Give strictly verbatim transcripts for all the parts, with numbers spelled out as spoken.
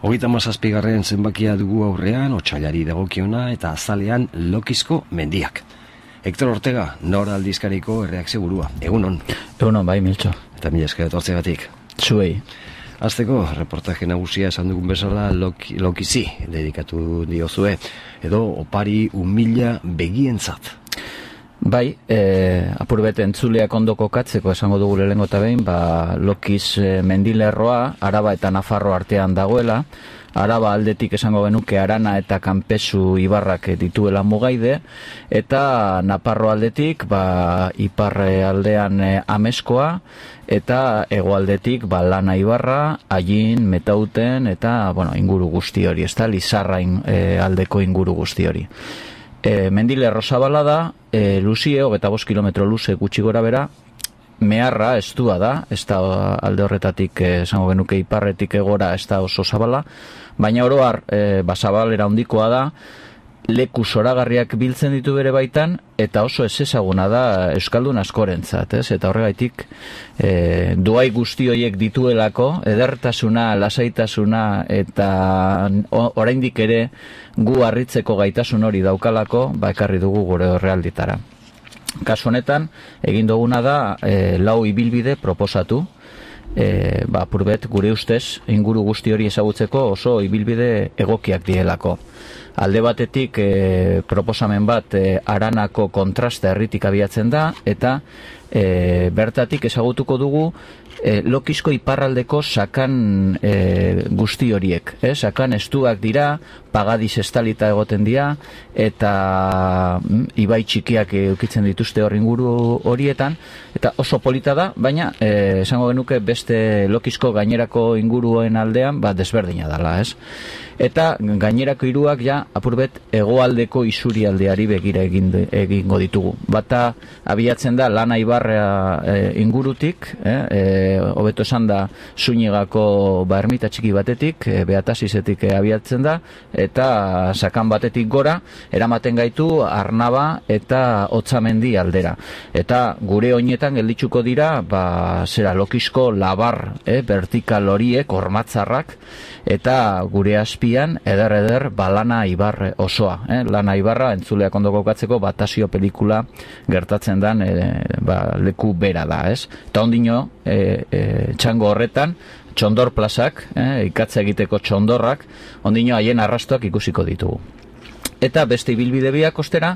Hogeita hamazazpigarren zenbakia dugu aurrean, otsailari dagokiona eta azalean Lokizko mendiak. Hector Ortega, Nor aldizkariko erreakzio burua. Egunon. Egunon, bai, Miltxo. Eta mila esker etortzegatik. Zuei. Azteko, reportaje nagusia esan dugun bezala Loki, Lokizi dedikatu diozue, edo opari umila begientzat. Bai, e, apurbet entzuleak ondo kokatzeko esango dugu lehengo eta behin, ba, Lokiz e, mendilerroa, Araba eta Nafarro artean dagoela. Araba aldetik esango genuke Arana eta Kanpezu ibarrak dituela mugaide, eta Nafarro aldetik ba, ipar aldean e, Ameskoa, eta hegoaldetik ba, Lana ibarra, Ain, Metauten, eta bueno, inguru guzti hori, ez da, Lizarra in, e, aldeko inguru guzti hori. E, mendilerro zabala da, e, luzie, hogeita bost kilometro luze gutxi gora bera, meharra estua da, ez da alde horretatik, esango genuke iparretik egora ez da oso zabala, baina oroar e, basabalera handikoa da, leku zoragarriak biltzen ditu bere baitan, eta oso ez ezaguna da euskaldun askorentzat, ez? Eta horregaitik e, duai guzti horiek dituelako, edertasuna, lasaitasuna, eta oraindik ere gu harritzeko gaitasun hori daukalako, ba ekarri dugu gure horrealditara. Kasu honetan, egin duguna da e, lau ibilbide proposatu, e, ba, purbet gure ustez inguru guzti hori ezagutzeko oso ibilbide egokiak dielako. Alde batetik e, proposamen bat e, Aranako kontrasta herritik abiatzen da, eta e, bertatik ezagutuko dugu e, Lokizko iparraldeko sakan e, guzti horiek. E, sakan estuak dira, pagadiz estalita egoten dira, eta mm, ibai txikiak eukitzen dituzte hor inguru horietan, eta oso polita da, baina e, esango genuke beste Lokizko gainerako inguruen aldean ba, desberdina dela, ez? Eta gainerako hiruak ja apurbet hegoaldeko isurialdeari begira egin, egingo ditugu. Bata abiatzen da Lana ibarra e, ingurutik, eh, hobeto esan da Zuñigako ba, ermita txiki batetik, e, Beatasizetik e, abiatzen da, eta sakan batetik gora, eramaten gaitu Arnaba eta Otzamendi aldera. Eta gure oinetan gelditzuko dira, ba, zera Lokizko labar, eh, vertikal horiek, ormatzarrak, eta gure azpian eder-eder ba, Lana ibar osoa. Eh? Lana ibarra entzuleak ondo kokatzeko Batasio pelikula gertatzen den e, ba, leku bera da. Ez? Eta ondino, e, e, txango horretan, txondor plazak, eh, ikatza egiteko txondorrak, ondino haien arrastoak ikusiko ditugu. Eta beste ibilbide biak ostera,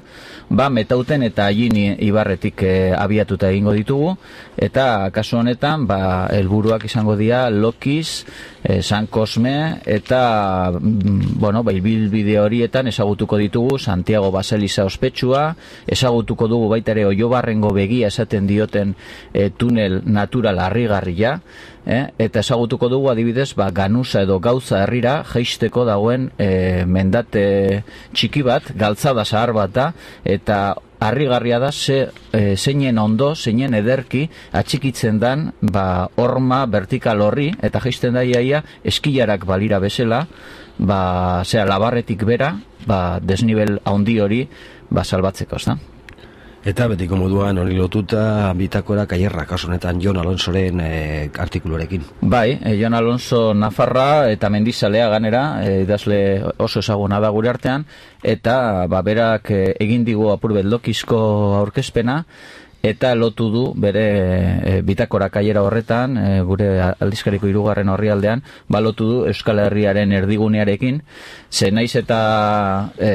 ba, Metauten eta Ain ibarretik e, abiatuta egingo ditugu, eta kasu honetan, ba, helburuak izango dira Lokiz, e, San Cosme, eta bueno, ba, ibilbide horietan ezagutuko ditugu Santiago Baseliza ospetsua, ezagutuko dugu baita ere Oiobarrengo begia esaten dioten e, tunel natural harrigarria, Eh, eta ezagutuko dugu adibidez ba, Ganuza edo Gauza herrira jaisteko dagoen e, mendate txiki bat, galtzada zahar bat da, eta harrigarria da ze, e, zeinen ondo, zeinen ederki atxikitzen dan ba, horma vertikal horri, eta jaisten da iaia eskilarak balira bezala, ba, zera labarretik bera, ba, desnivel handi hori ba, salbatzeko, ez da? Eta betiko moduan hori lotuta bitakora kaierra, kasu honetan Jon Alonsoren e, artikuluarekin. Bai, e, Jon Alonso Nafarra eta Mendizalea ganera, e, idazle oso ezaguna da gure artean, eta ba, berak e, egin digu apurbet Lokizko aurkezpena, eta lotu du bere e, bitakora kaiera horretan, e, gure aldizkariko hirugarren orrialdean, ba lotu du Euskal Herriaren erdigunearekin, ze naiz eta e,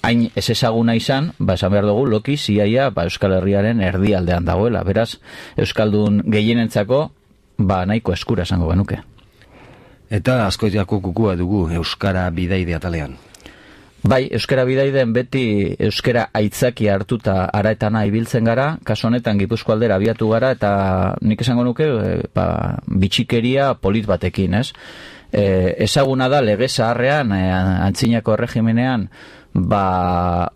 hain ez ezaguna izan, ba esan behar dugu Lokiz iaia ba, Euskal Herriaren erdialdean dagoela, beraz Euskaldun gehienentzako ba nahiko eskura esango genuke. Eta askoitiako kukua dugu Euskara bidaide atalean. Bai, euskara bidaiden beti euskara aitzaki hartuta ara eta nahi biltzen gara, kasu honetan Gipuzko aldera abiatu gara, eta nik esango nuke ba, bitxikeria polit batekin, ez? E, ezaguna da lege zaharrean, e, antzinako erregimenean, ba,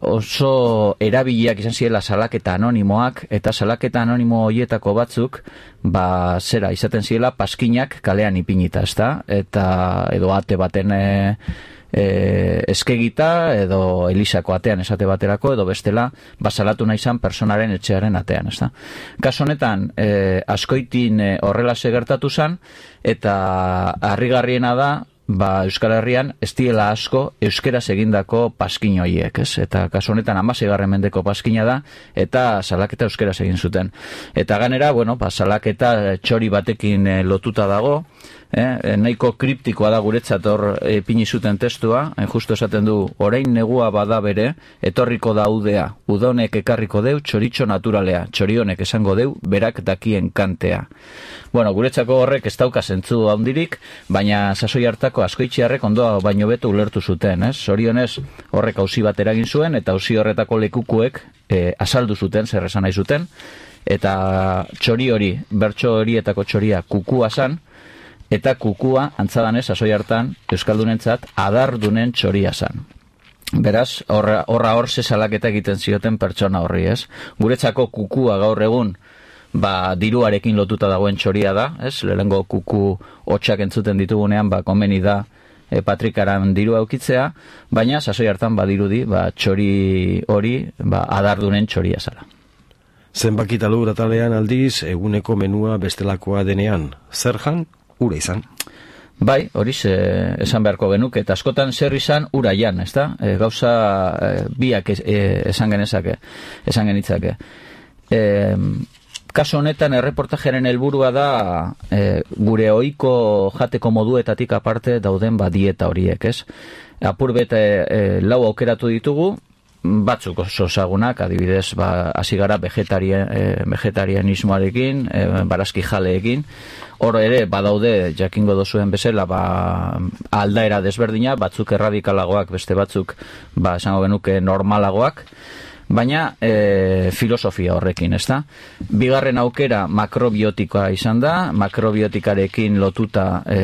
oso erabiliak izan zirela salaketa anonimoak, eta salaketa anonimo horietako batzuk, ba, zera, izaten zirela paskinak kalean ipinita, ezta? Eta edo ate baten e, E, eskegita edo Elisako atean esate baterako edo bestela basalatu nahi izan personaren etxearen atean, ezta? Kasu honetan e, askoitin e, horrela gertatu zen, eta harrigarriena da ba, Euskal Herrian ez diela asko euskeraz egindako paskin horiek, ez? Eta kasu honetan hamaseigarren mendeko paskina da, eta salaketa euskeraz egin zuten. Eta ganera, bueno, ba, salaketa txori batekin e, lotuta dago, eh, nahiko kriptikoa da guretzat hor e, pini zuten testua, hain justu esaten du, orain negua bada bere, etorriko da udea, udonek ekarriko deu, txoritxo naturalea, txorionek esango deu, berak dakien kantea. Bueno, guretzako horrek ez dauka zentzu handirik, baina sasoi hartako askoitxiarrek ondoa baino beto ulertu zuten, ez? Zorionez horrek auzi bat eragin zuen, eta auzi horretako lekukuek e, azaldu zuten, zer esan nahi zuten, eta txori hori, bertso horietako txoria kukua zan, eta kukua, antzadanez, sasoi hartan, euskaldunentzat adardunen txoria zan. Beraz, horra hor ze salaketa egiten zioten pertsona horri, ez? Guretzako kukua gaur egun, ba, diruarekin lotuta dagoen txoria da, ez? Lehengo kuku hotxak entzuten ditugunean, ba, konbeni da e, patrikaran dirua eukitzea, baina sasoi hartan badirudi, ba, txori hori, ba, adardunen txoria zala. Zenbakita lur atalean aldiz, eguneko menua bestelakoa denean, zer jan, ura izan. Bai, horiz e, esan beharko genuke, eta askotan zer izan ura jan, ez da? E, gauza e, biak es, e, esan genezake, esan genitzake. E, kaso honetan erreportajeren helburua da e, gure ohiko jateko moduetatik aparte dauden ba dieta horiek, ez? Apur bete e, lau aukeratu ditugu, batzuk oso ezagunak, adibidez, ba, hasi gara vegetarien, e, vegetarianismoarekin, e, barazki jaleekin, hor ere, badaude, jakingo dozuen bezala, ba, aldaera desberdina, batzuk erradikalagoak, beste batzuk, ba, esango genuke normalagoak, baina e, filosofia horrekin, ez da? Bigarren aukera makrobiotikoa izan da, makrobiotikarekin lotuta e,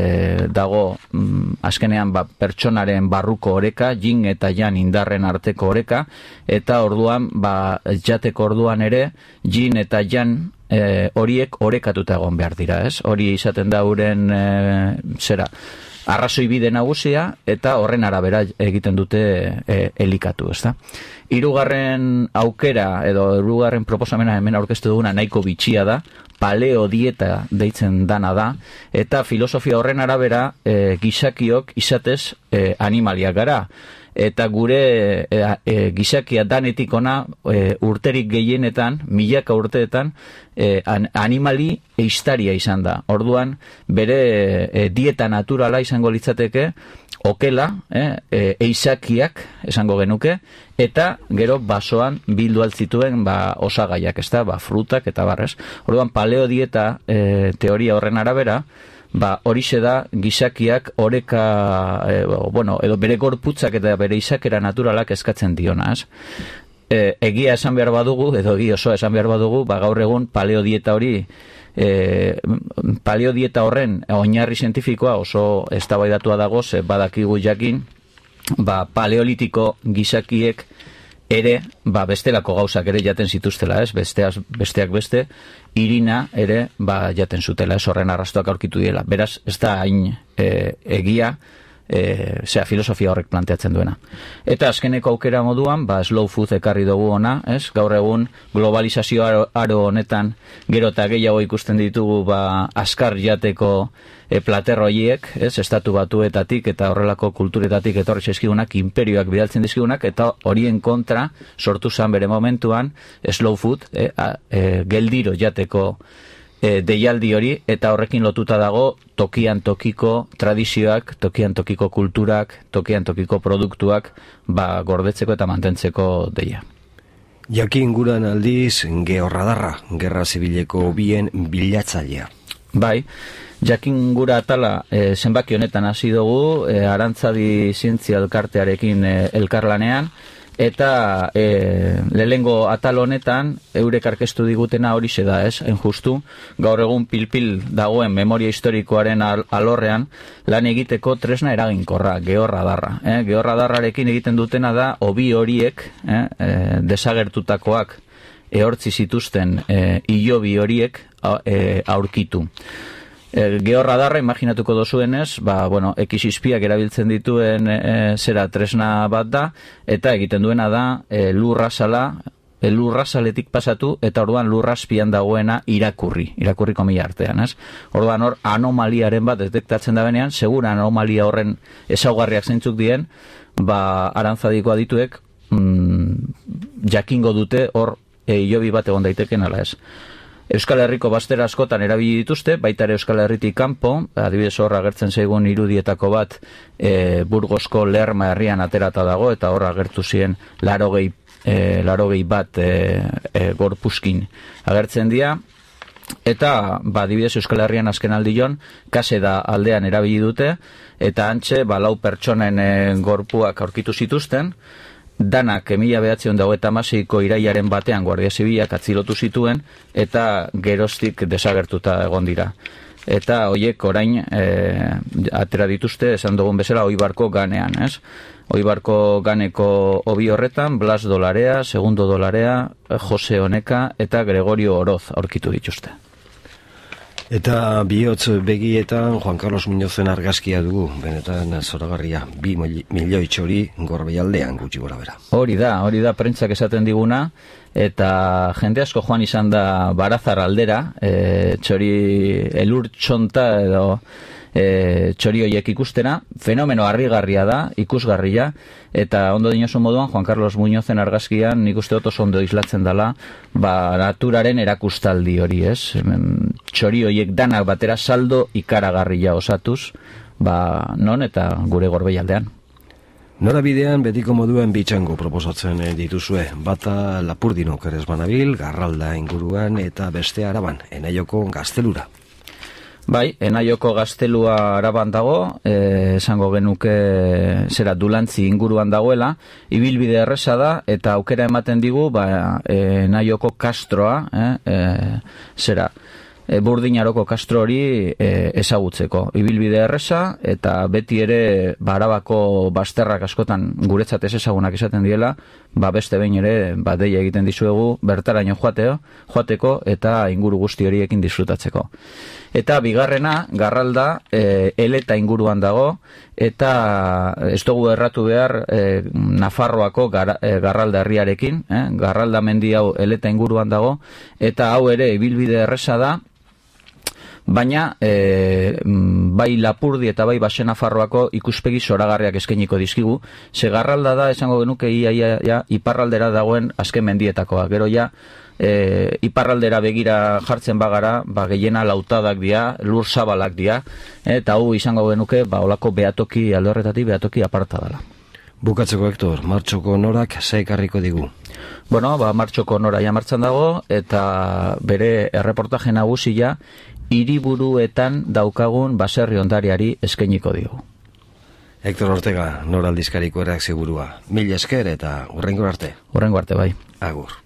dago mm, azkenean ba, pertsonaren barruko oreka, yin eta jan indarren arteko oreka, eta orduan, ba, jateko orduan ere, yin eta jan e, horiek orekatuta egon behar dira, ez? Hori izaten da uren e, zera, arrazoi bide nagusia, eta horren arabera egiten dute e, elikatu, ez da? Hirugarren aukera, edo hirugarren proposamena hemen aurkeztu duguna nahiko bitxia da, paleo dieta deitzen dana da, eta filosofia horren arabera e, gizakiok izatez e, animaliak gara. Eta gure e, e, gizakia danetik ona e, urterik gehienetan, milaka urteetan, e, an, animali eistaria izan da. Orduan, bere e, dieta naturala izango litzateke, okela, eh, e, eizakiak esango genuke, eta gero basoan bildu altzituen ba, osagaiak, ez da, ba, frutak eta barrez. Orduan, paleo dieta e, teoria horren arabera, ba, horixe da gizakiak oreka, e, bueno, edo bere gorputzak eta bere izakera naturalak eskatzen dionaz. E, egia esan behar badugu, edo egia oso esan behar badugu, ba, gaur egun paleo dieta hori, e, paleo dieta horren oinarri zientifikoa oso eztabaidatua dago, ze badakigu jakin, ba, paleolitiko gizakiek ere, ba, bestelako gauzak ere jaten zituztela, ez? Besteaz, besteak beste, irina ere, ba, jaten zutela, ez? Horren arrastoak aurkitu diela. Beraz, ez da hain e, egia, e, zera, filosofia horrek planteatzen duena. Eta azkeneko aukera moduan, ba, slow food ekarri dugu ona, ez? Gaur egun, globalizazio aro, aro honetan, gero eta gehiago ikusten ditugu, ba, askar jateko e, platerroiek, ez? Estatu batuetatik eta horrelako kulturetatik etorri zaizkigunak, imperioak bidaltzen dizkigunak, eta horien kontra sortu zan bere momentuan slow food, e, a, e, geldiro jateko e, deialdi hori, eta horrekin lotuta dago tokian tokiko tradizioak, tokian tokiko kulturak, tokian tokiko produktuak, ba, gordetzeko eta mantentzeko deia. Jakin guran aldiz, georradarra, gerra zibileko bien bilatzailea. Bai, jakin gura atala e, zenbaki honetan hasi dugu, e, Arantzadi Zientzia Elkartearekin e, elkarlanean, eta e, lehengo atal honetan eurek arkeztu digutena horixe da, ez? Hain justu, gaur egun pilpil dagoen memoria historikoaren al alorrean lan egiteko tresna eraginkorra, georradarra. Eh? Georradarrarekin egiten dutena da, hobi horiek, eh? e, desagertutakoak ehortzi zituzten e, ilobi horiek a, e, aurkitu. E, georradarra imaginatuko dozuenez, ba, bueno, ekizizpiak erabiltzen dituen e, zera tresna bat da, eta egiten duena da e, lurra sala lurrazaletik pasatu, eta orduan lurrazpian dagoena irakurri, irakurri komila artean, ez? Orduan hor anomaliaren bat detektatzen da benean, segura anomalia horren ezaugarriak zeintzuk dien, ba, arantzadiko adituek mm, jakingo dute hor e, hilobi bat egon daiteken ala ez. Euskal Herriko baztera askotan erabili dituzte, baita ere Euskal Herritik kanpo, adibidez hor agertzen zaigun irudietako bat e, Burgosko Lerma herrian aterata dago, eta hor agertu ziren larogei, e, larogei bat e, e, gorpuskin agertzen dira, eta ba, adibidez Euskal Herrian azken aldion, kase da aldean erabili dute, eta antxe ba, lau pertsonen e, gorpuak aurkitu zituzten, danak mila bederatziehun eta hogeita hamaseiko irailaren batean Guardia Zibilak atzilotu zituen eta geroztik desagertuta egon dira. Eta hoiek orain e, atera dituzte, esan dugun bezala, Oibarko ganean, ez? Oibarko ganeko hobi horretan, Blas Dolarea, Segundo Dolarea, Jose Oneka eta Gregorio Oroz aurkitu dituzte. Eta bihotz begietan Juan Carlos Muñozen argazkia dugu, benetan zoragarria, bi milioi txori Gorbeialdean gutxi gora bera. Hori da, hori da prentzak esaten diguna, eta jende asko joan izan da Barazar aldera, e, txori elur txonta edo e, txori horiek ikustena, fenomeno harrigarria da, ikusgarria, eta ondo dinosun moduan Juan Carlos Muñozen argazkian nik uste oso ondo islatzen dela ba, naturaren erakustaldi hori, ez? Txori horiek danak batera saldo ikaragarria osatuz, ba, non eta gure Gorbeialdean. Norabidean betiko moduen bitxango proposatzen dituzue, bata Lapurdinok ere banabil, Garralda inguruan eta beste Araban, Enaioko gaztelura. Bai, Enaioko gaztelua Araban dago, eh, esango genuke zera Dulantzi inguruan dagoela, ibilbide erresa da, eta aukera ematen digu, ba, eh, Enaioko kastroa, eh, eh, zera, e, Burdinaroko kastro hori e, ezagutzeko. Ibilbide erresa, eta beti ere ba, Arabako bazterrak askotan guretzat ez ezagunak izaten diela, ba, beste behin ere ba, deia egiten dizuegu bertaraino joateo, joateko eta inguru guzti horiekin disfrutatzeko. Eta bigarrena, Garralda, e, Eleta inguruan dago, eta ez dugu erratu behar e, Nafarroako gar, e, Garralda herriarekin, eh? Garralda mendi hau Eleta inguruan dago, eta hau ere ibilbide erresa da, baina e, bai Lapurdi eta bai Baxe Nafarroako ikuspegi zoragarriak eskainiko dizkigu, ze Garralda da, esango genuke ia, ia, ia, iparraldera dagoen azken mendietakoa, gero ja, e, iparraldera begira jartzen bagara, ba, gehiena lautadak dira, lur zabalak dira, eta hau izango genuke, ba, olako behatoki, alde horretatik behatoki aparta dela. Bukatzeko, Hector, martxoko norak zeekarriko digu? Bueno, ba, martxoko nora ja martxan dago, eta bere erreportaje nagusia hiriburuetan daukagun baserri ondariari eskainiko digu. Hector Ortega, nora aldizkariko erreakzio burua. Mil esker eta hurrengo arte. Hurrengo arte, bai. Agur.